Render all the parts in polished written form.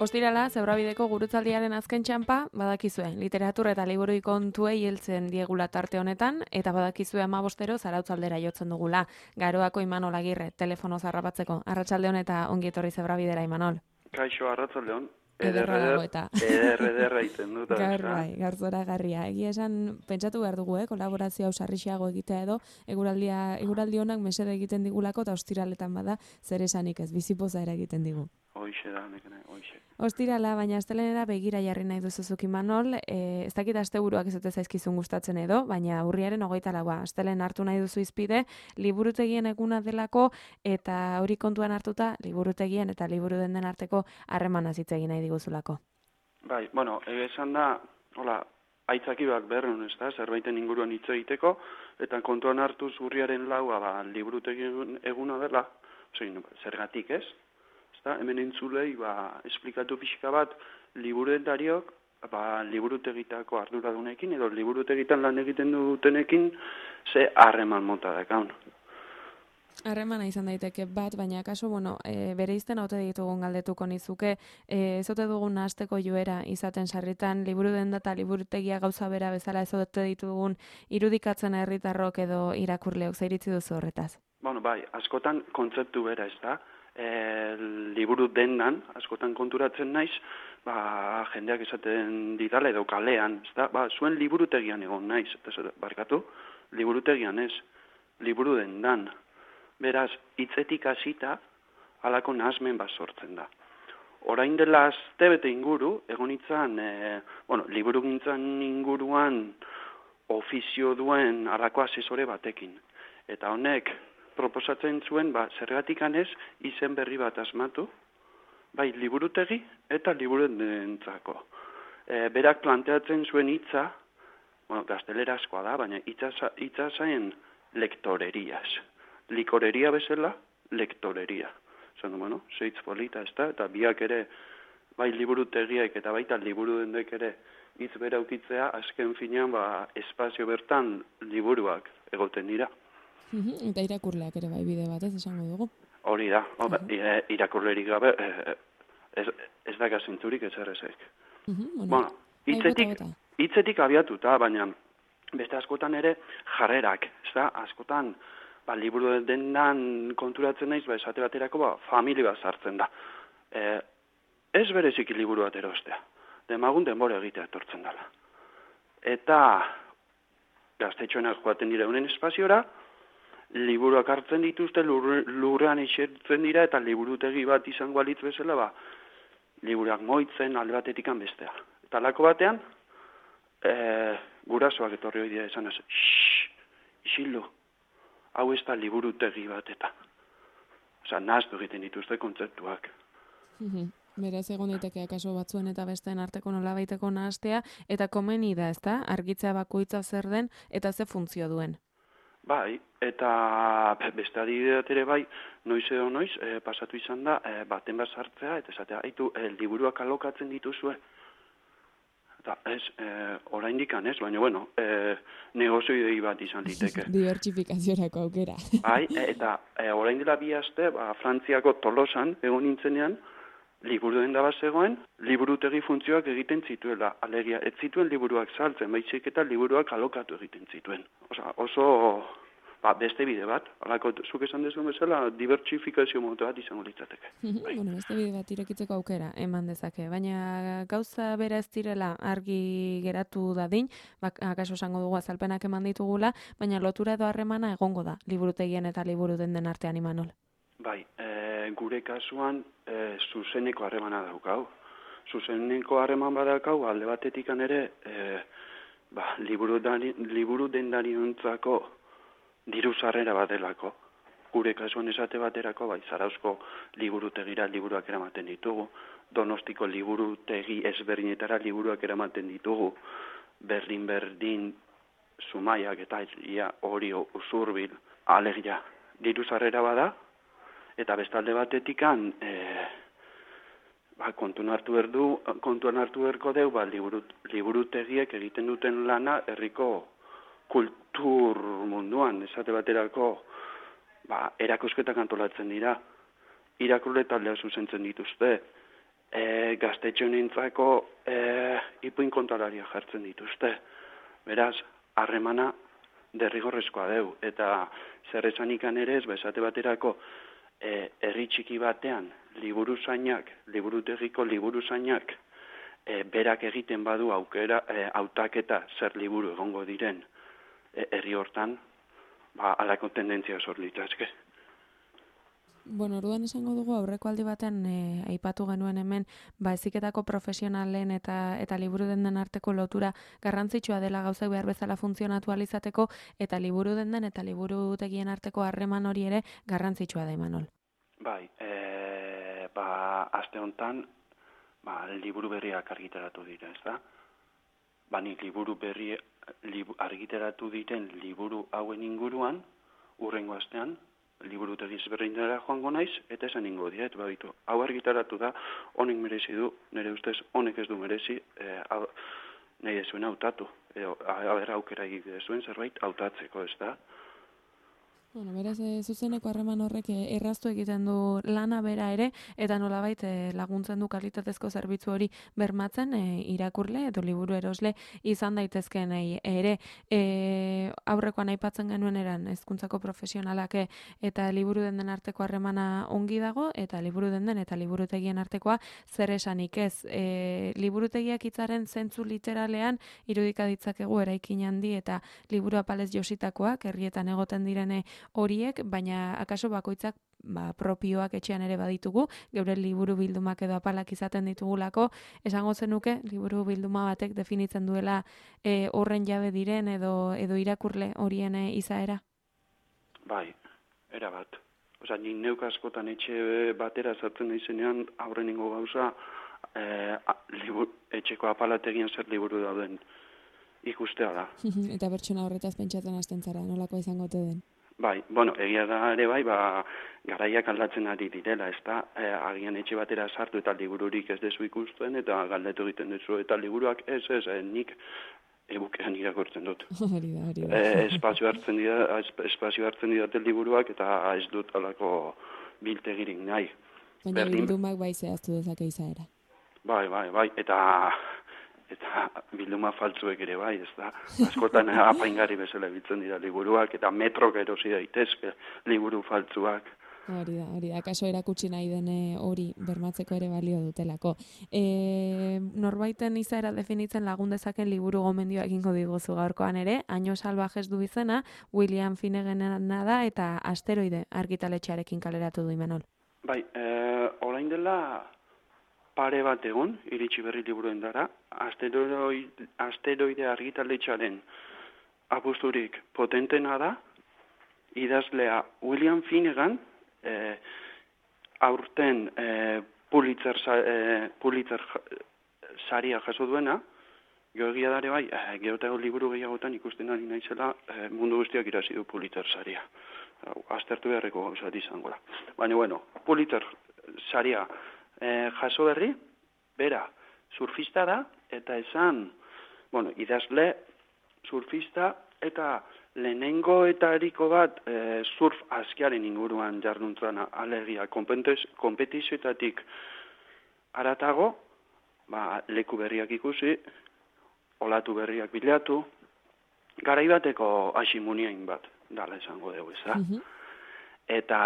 Ostirala, Zebrabideko gurutzaldiaren azken txanpa, badakizue, literatura eta liburu kontuei heltzen diegula tarte honetan, eta badakizue 15 zarautzaldera jotzen dugula. Garoako Imanol Agirre, telefono zarrapatzeko. Arratsaldeon eta ongi etorri Zebrabidera, Imanol. Kaixo, arratsaldeon. Ederra dago eta. Ederra iten dut. Gaur bai, gaur zoragarria. Egia esan, pentsatu behar dugu, kolaborazio hau sarrixeago egitea edo, eguraldi honak mesede egiten digulako, eta ostiraletan bada, zer esanik ez, bizipoza ere egiten digu. Hoixe da, nekene, hoixe. Ostirala, baina astelenera begira jarri nahi duzuzuk Imanol, ez dakit asteburuak ez dute zaizkizun gustatzen edo, baina urriaren 24, astelen hartu nahi duzu izpide, liburutegien eguna delako, eta hori kontuan hartuta, liburutegien eta liburu den arteko harremana hitz egin nahi diguzulako. Bai, bueno, esan da, hola, aitzaki bat berrun, ez da, zerbaiten inguruan hitz egiteko, eta kontuan hartuz urriaren 4, liburutegien eguna dela, zergatik ez? Hemen entzulei, esplikatu pixka bat, liburudendariok, liburutegitako arduradunekin, edo liburutegitan lan egiten dutenekin, ze harreman mota dakaun. Harremana izan daiteke bat, baina kaso, bere izten haute ditugun galdetuko nizuke, ezote dugun nahasteko joera izaten sarritan, liburudenda eta liburutegia gauza bera bezala ezote ditugun irudikatzen herritarrok edo irakurleok, zer iritzi duzu horretaz? Bai, askotan kontzeptu bera ez da, liburu dendan, askotan konturatzen naiz, jendeak esaten didala edo kalean, ez da, zuen liburutegian egon naiz, barkatu, liburutegian ez, liburu dendan. Beraz, hitzetik hasita, halako nahasmen bat sortzen da. Orain dela astebete inguru, egon itzan, liburu gintzan inguruan ofizio duen halako asesore batekin. Eta honek, proposatzen zuen, zergatikan ez, izen berri bat asmatu, bai liburutegi eta liburudentzako. Berak planteatzen zuen hitza, gaztelerazkoa da, baina hitza zain lektoreriaz. Likoreria bezala, lektoreria. Zan, zeitz polita ez da, eta biak ere, bai liburutegiak eta baita liburudendek ere hitz bera ukitzea, azken finean, espazio bertan liburuak egoten dira. Eta irakurleak ere bai bide batez esango dugu. Hori da, irakurlerik gabe ez da gazintzurik ez errezek. Hitzetik abiatuta, baina beste askotan ere jarrerak, ez da, askotan liburu dendan konturatzen naiz, esate baterako familia bat sartzen da. Ez bereziki liburu bat erostea, demagun denbora egitea etortzen dela. Eta gaztetxoenak joaten dira unen espaziora, liburuak hartzen dituzte, lurrean esertzen dira, eta liburutegi bat izango alitz bezala, liburuak moitzen alde batetikan bestea. Eta lako batean, gurasoak etorri hori dira esan ez, isildu, hau ez da liburutegi bat eta. Nahaztu egiten dituzte kontzeptuak. Beraz, egon daiteke akaso batzuen eta besteen arteko nolabaiteko nahastea, eta komeni da, ez da, argitzea bakoitza zer den, eta ze funtzio duen. Bai, eta beste adibideat ere bai, noiz edo noiz, pasatu izan da, baten bat sartzea, eta esatea, liburuak alokatzen dituzue. Eta ez, oraindik ez, baina, negozioi bat izan liteke. Dibertsifikaziorako aukera. Bai, eta orain dela 2 aste, Frantziako Tolosan, egon nintzenean, liburu den da bat zegoen, liburutegi funtzioak egiten zituela. Alegia, ez zituen liburuak saltzen, baizik eta liburuak alokatu egiten zituen. Oso beste bide bat, alako zuk esan dezuen bezala, dibertsifikazio moto bat izango litzateke. Beste bide bat irekitzeko aukera eman dezake, baina gauza bera ez direla argi geratu dadin, akaso esango dugu azalpenak eman ditugula, baina lotura edo harremana egongo da, liburutegien eta liburu den artean, Imanol. Bai, gure kasuan zuzeneko harremana daukau. Zuzeneko harreman badakau, alde batetikan ere, liburu dendariontzako diru sarrera badelako. Gure kasuan esate baterako, Zarauzko liburutegira liburuak eramaten ditugu, Donostiko liburutegi ezberdinetara liburuak eramaten ditugu, berdin, Zumaiak eta hori Usurbil, alegia, diru sarrera bada, eta bestalde batetikan, kontuan hartu berko deu, liburutegiek egiten duten lana herriko kultur munduan, esate baterako, erakusketak antolatzen dira, irakurle taldea zuzentzen dituzte, gaztetxe honentzako ipuin kontalaria jartzen dituzte. Beraz, harremana derrigorrezkoa deu. Eta zer esanikan ere ez, esate baterako, herri txiki batean, liburutegiko liburuzainak, berak egiten badu aukera, hautaketa zer liburu egongo diren herri hortan, halako tendentzia sor litezke. Bueno, orduan esango dugu aurreko aldi batean aipatu genuen hemen heziketako profesionalen eta liburu dendan arteko lotura garrantzitsua dela gauzak behar bezala funtzionatu ahal izateko eta liburu dendan eta liburutegien arteko harreman hori ere garrantzitsua da, Imanol. Bai, aste honetan liburu berriak argitaratu dira, ez da? Nik liburu berri argitaratu diren liburu hauen inguruan, urrengo astean, liburutegi ezberdinetara joango naiz, eta esan ingo diet, baditu. Hau argitaratu da, honek merezi du, nire ustez honek ez du merezi, nahi ez zuen hautatu. Aukera egite zuen zerbait hautatzeko, ez da? Bueno, beraz, zuzeneko harreman horrek erraztu egiten du lana bera ere, eta nolabait laguntzen du kalitatezko zerbitzu hori bermatzen irakurle edo liburu erosle izan daitezkeen ere. Aurrekoan aipatzen genuen eran hezkuntzako profesionalak eta liburu den arteko harremana ongi dago, eta liburu den eta liburutegien artekoa zer esanik ez. Liburutegiak hitzaren zentzu literalean irudika ditzakegu eraikin handi eta liburu apalez jositakoak, herrietan egoten direne horiek, baina akaso bakoitzak propioak etxean ere baditugu, geure liburu bildumak edo apalak izaten ditugulako, esango zenuke liburu bilduma batek definitzen duela horren jabe diren edo irakurle horien izaera? Bai, erabat. Ni neuk askotan etxe batera sartzen naizenean aurrenengo gauza etxeko apalategian zer liburu dauden ikustea da. Eta pertsona horretaz pentsatzen hasten zara, nolako izango ote den? Bai, egia da ere garaiak aldatzen ari direla, ez da, agian etxe batera sartu eta libururik ez dezu ikusten, eta galdetu egiten duzu, eta liburuak nik e-bookean irakurtzen dut. Hori da. Espazio hartzen didate liburuak, eta ez dut alako biltegirik nahi. Baina bildumak bai zehaztu dezake izaera. Bai, eta bilduma faltzuek ere bai, ez da. Askotan apaingarri bezala biltzen dira liburuak, eta metrok erosi daitezke liburu faltzuak. Hori da, kaso erakutsi nahi den hori bermatzeko ere balio dutelako. Norbaiten izaera definitzen lagun dezaken liburu gomendioa egingo diguzu gaurkoan ere, Año Salvajes du izena, William Finneganena da, eta Asteroide argitaletxearekin kaleratu du, Imanol. Bai, orain dela pare bat egun, iritsi berri liburuen dara, Asteroide argitaletxearen apusturik potentena da, idazlea William Finnegan, aurten Pulitzer saria jaso duena, geoegia dare bai, geotago liburu gehiagotan ikusten ari naizela mundu guztiak irazi du Pulitzer saria. Aztertu beharreko gauzat izango da. Baina, Pulitzer saria jaso berri, bera, surfista da, eta esan, idazle, surfista, eta lehenengo eta eriko bat surf askiaren inguruan jarduntzen alegia kompetizioetatik aratago, leku berriak ikusi, olatu berriak bilatu, garaibateko asimuniain bat, dala esango dugu, ez da? Eta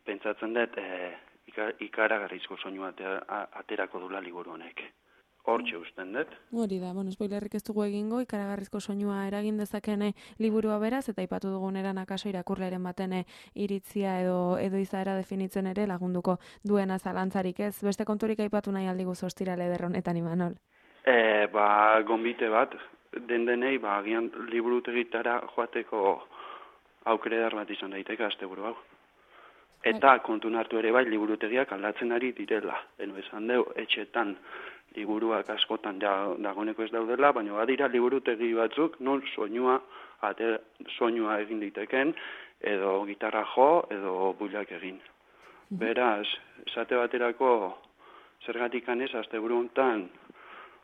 pentsatzen dut, ikaragarrizko soinu aterako dula liburu honek. Hortxe usten dut. Hori da, spoilerrik ez dugu egingo, ikaragarrizko soinua eragin dezakene liburua beraz, eta aipatu dugun eran akaso irakurleren baten iritzia edo izaera definitzen ere lagunduko duena zalantzarik ez. Beste konturik aipatu nahi aldigu ostirale eder honetan, Imanol? Gonbite bat, denei, agian liburutegitara joateko aukere dar bat izan daiteke asteburu hau. Eta kontun hartu ere bai, liburutegiak aldatzen ari direla. Eno esan deu, etxetan liburuak askotan dagoeneko ez daudela, baina badira liburutegi batzuk non soinua egin diteken, edo gitarra jo, edo builak egin. Beraz, esate baterako zergatik anez, asteburu hontan,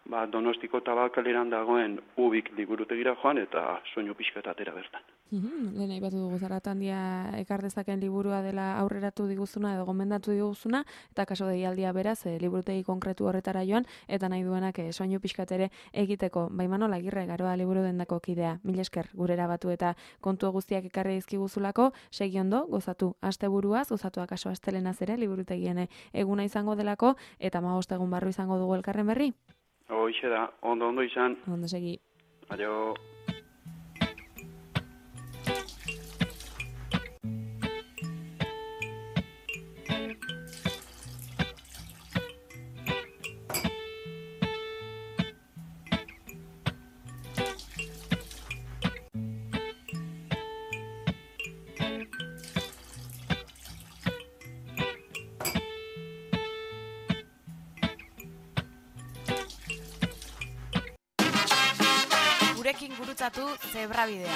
Donostiko Tabakaleran dagoen Ubik liburutegira joan eta soinu pixka atera bertan. Lehen aipatu dugu Zaratandia ekar dezaken liburua dela aurreratu diguzuna edo gomendatu diguzuna, eta kaso deialdia beraz, liburutegi konkretu horretara joan, eta nahi duenak soinu pixkatere egiteko. Imanol Agirre, Garoa liburu dendako kidea. Mil esker gurera batu eta kontu guztiak ekarri dizkiguzulako, segi ondo, gozatu asteburuaz, gozatu akaso astelenaz ere, liburutegien eguna izango delako, eta 15 egun barru izango dugu elkarren berri. Hoxe da, ondo izan. Ondo segi. Adio. Gurekin gurutzatu Zebrabidea.